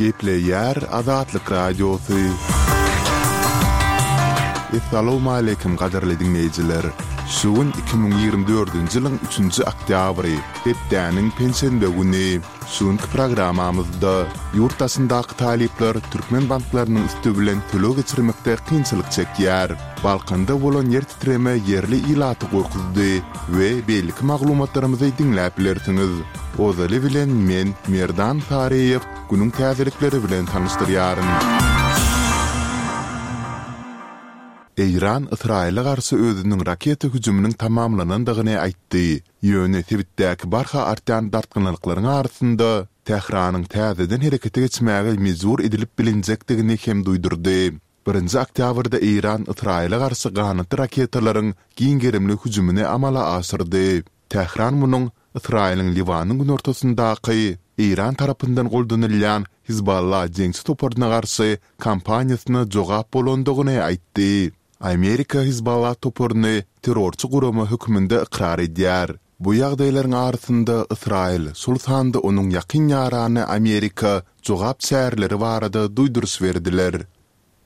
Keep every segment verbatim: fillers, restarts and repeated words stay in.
Gepleýär Azatlyk Radiosy. Essalawmaleýkim gadyrly diňleýjiler! Şu gün iki müň ýigrimi dördünji ýylyň üçünji oktýabry, hepdäniň penşenbe güni. Şu günki programmamyzda ýurt daşyndaky talyplar türkmen banklarynyň üsti bilen töleg geçirmekde kynçylyk çekýär. Balkanda bolan ýer titreme ýerli ilaty gorkuzdy we beýleki maglumatlarymyzy diňläp bilersiňiz. Ozaly bilen men, Merdan Saryýew, günüň täzelikleri bilen tanyşdyrýaryn. Eýran Ysraýyla garşy özüniň raketa hüjüminiň tamamlanandygyny aýtdy, ýöne sebitdäki barha artýan dartgynlyklaryň arasynda Tähranyň täzeden herekete geçmäge mejbur edilip bilinjekdigini hem duýdurdy. Birinji oktýabrda Eýran Ysraýyla garşy ganatly raketalaryň giň gerimli hüjümini amala aşyrdy. Tähran munuň Ysraýylyň Liwanyň günortasyndaky Eýran tarapyndan goldanylýan Hizballa jeňçi toparyna garşy kampaniýasyna jogap bolandygyny aýtdy. Amerika Hizballa toparyny terrorçy gurama hökmünde ykrar edýär. Bu ýagdaýlaryň arasynda Ysraýyl, şol sanda onuň ýakyn ýarany Amerika jogap çäreleri barada duýduryş berdiler.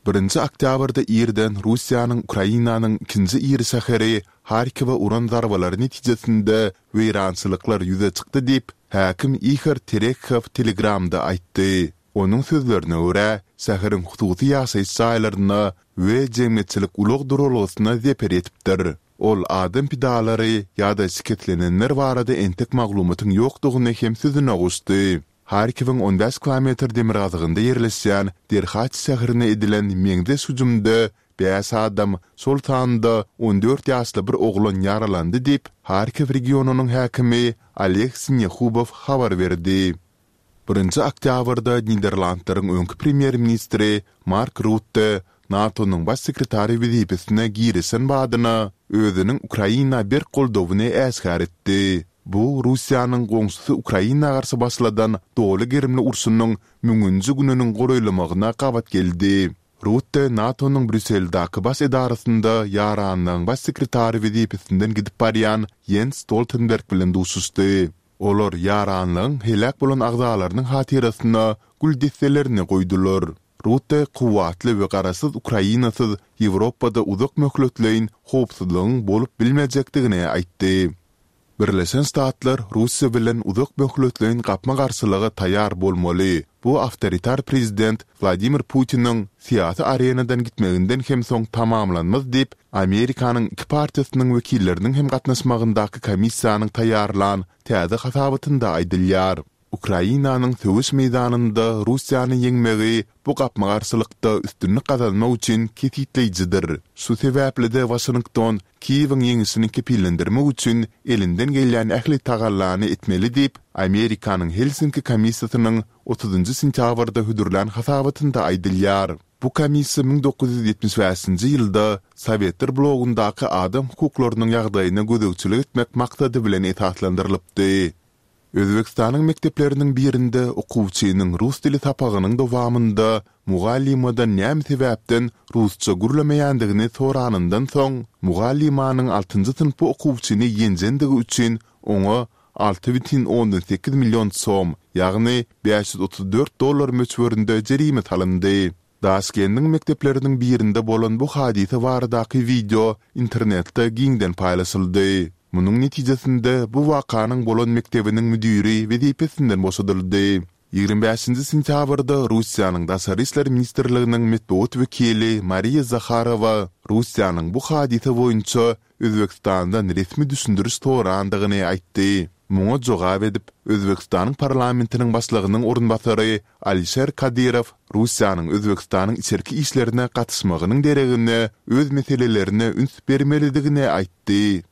Birinji oktýabrda irden Russiýanyň Ukrainanyň ikinji iri şäheri Harkowa uran zarbalary netijesinde weýrançylyklar ýüze çykdy diýip, häkim Ihor Terekhow Telegramda aýtdy. Onuň sözlerine görä, şäheriň hususy ýaşaýyş jaýlaryna we jemgyýetçilik ulag duralgasyna zeper ýetipdir. Ol adam pidalary ýa-da şikeslenenler barada entek maglumatyň ýokdugyny hem sözüne goşdy. Harkiwiň on bäş kilometr demirgazygynda ýerleşýän Derhaç şäherine edilen meňzeş hüjümde bäş adam, şol sanda on dört ýaşly bir oglan ýaralandy diýip, Harkiw regionynyň häkimi Oleg Sinehubow habar berdi. Birinji oktýabrda Niderlandlaryň öňki premýer-ministri Mark Rutte NATO-nyň Baş sekretary wezipesine girişen badyna özüniň Ukraina berk goldawyny äşgär etdi. Bu Russiýanyň goňşusy Ukraina garşy başladan doly gerimli urşunyň müňünji gününiň golaýlamagyna gabat geldi. Rutte NATO-nyň Brýusseldäki baş edarasynda Ýaranlygyň Baş sekretary wezipesinden gidip barýan Ýens Stoltenberg bilen duşuşdy. Olar ýaranlygyň heläk bolan agzalarynyň hatyrasyna gül desselerini goýdular. Rutte kuwwatly we garaşsyz Ukrainasyz Ýewropada uzak möhletleýin howpsuzlygyň bolup bilmejekdigini aýtdy. Birleşen Ştatlar Russiýa bilen uzak möhletleýin gapma-garşylyga taýýar bolmaly, bu awtoritar prezident Wladimir Putiniň syýasy arenadan gitmeginden hem soň tamamlanmaz diýip, Amerikanyň iki partiýasynyň wekilleriniň hem gatnaşmagyndaky komissiýanyň taýýarlan täze hasabatynda aýdylýar. Ukrainanyň söweş meýdanynda Russiýany ýeňmegi bu gapma-garşylykda üstünlik gazanmak üçin kesgitleýjidir. Şu sebäpli-de Waşington Kiýewiň ýeňişini kepillendirmek üçin elinden gelýän ähli tagallany etmeli diýip, Amerikanyň Helsinki komissiýasynyň otuzynjy sentýabrda hödürlän hasabatynda aýdylýar. Bu komissiýa müň dokuz ýüz ýetmiş bäşinji ýylda Sowetler blogundaky adam hukuklarynyň ýagdaýyna gözegçilik etmek maksady bilen esaslandyrylypdy. Özbegistanyň mekdepleriniň birinde okuwçynyň rus dili sapagynyň dowamynda mugallymadan näme sebäpden rusça gürlemeýändigini soranyndan soň, mugallymanyň altynjy synpy okuwçyny ýenjendigi üçin oňa alty bütin ondan sekiz million som, ýagny bäş ýüz otuz dört dollar möçberinde jerime salyndy. Daşkendiň mekdepleriniň birinde bolan bu hadysa baradaky wideo internetde giňden paýlaşyldy. Munuň netijesinde bu wakanyň bolan mekdebiniň müdiri wezipesinden boşadyldy. Ýigrimi bäşinji sentýabrda Russiýanyň Daşary işler ministrliginiň metbugat wekili Mariýa Zaharowa Russiýanyň bu hadysa boýunça Özbegistandan resmi düşündiriş sorandygyny aýtdy. Muňa jogap edip, Özbegistanyň parlamentiniň başlygynyň orunbasary Alişer Kadyrow Russiýanyň Özbegistanyň içerki işlerine gatyşmagynyň deregine öz meselelerine üns bermelidigini aýtdy.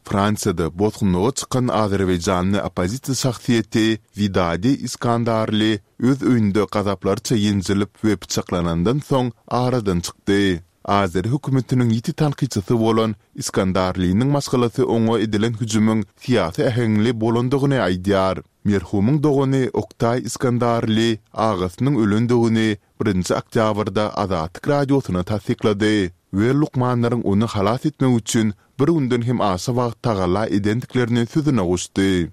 Fransiýada bosgunlyga çykan azerbaýjanly oppozisiýa şahsyýeti Widadi Iskandarli öz öýünde gazaplarça ýenjilip we pyçaklanandan soň aradan çykdy. Azeri hökümetiniň ýiti tankytçysy bolan Iskandarliniň maşgalasy oňa edilen hüjümiň syýasy äheňli bolandygyny aýdýar. Merhumyň dogany Oktaý Iskandarli agasynyň ölendigini birinji oktýabrda Azatlyk Radiosyna tassyklady we lukmanlaryň ony halas etmek üçin bir günden hem aşa wagt tagalla edendiklerini sözüne goşdy.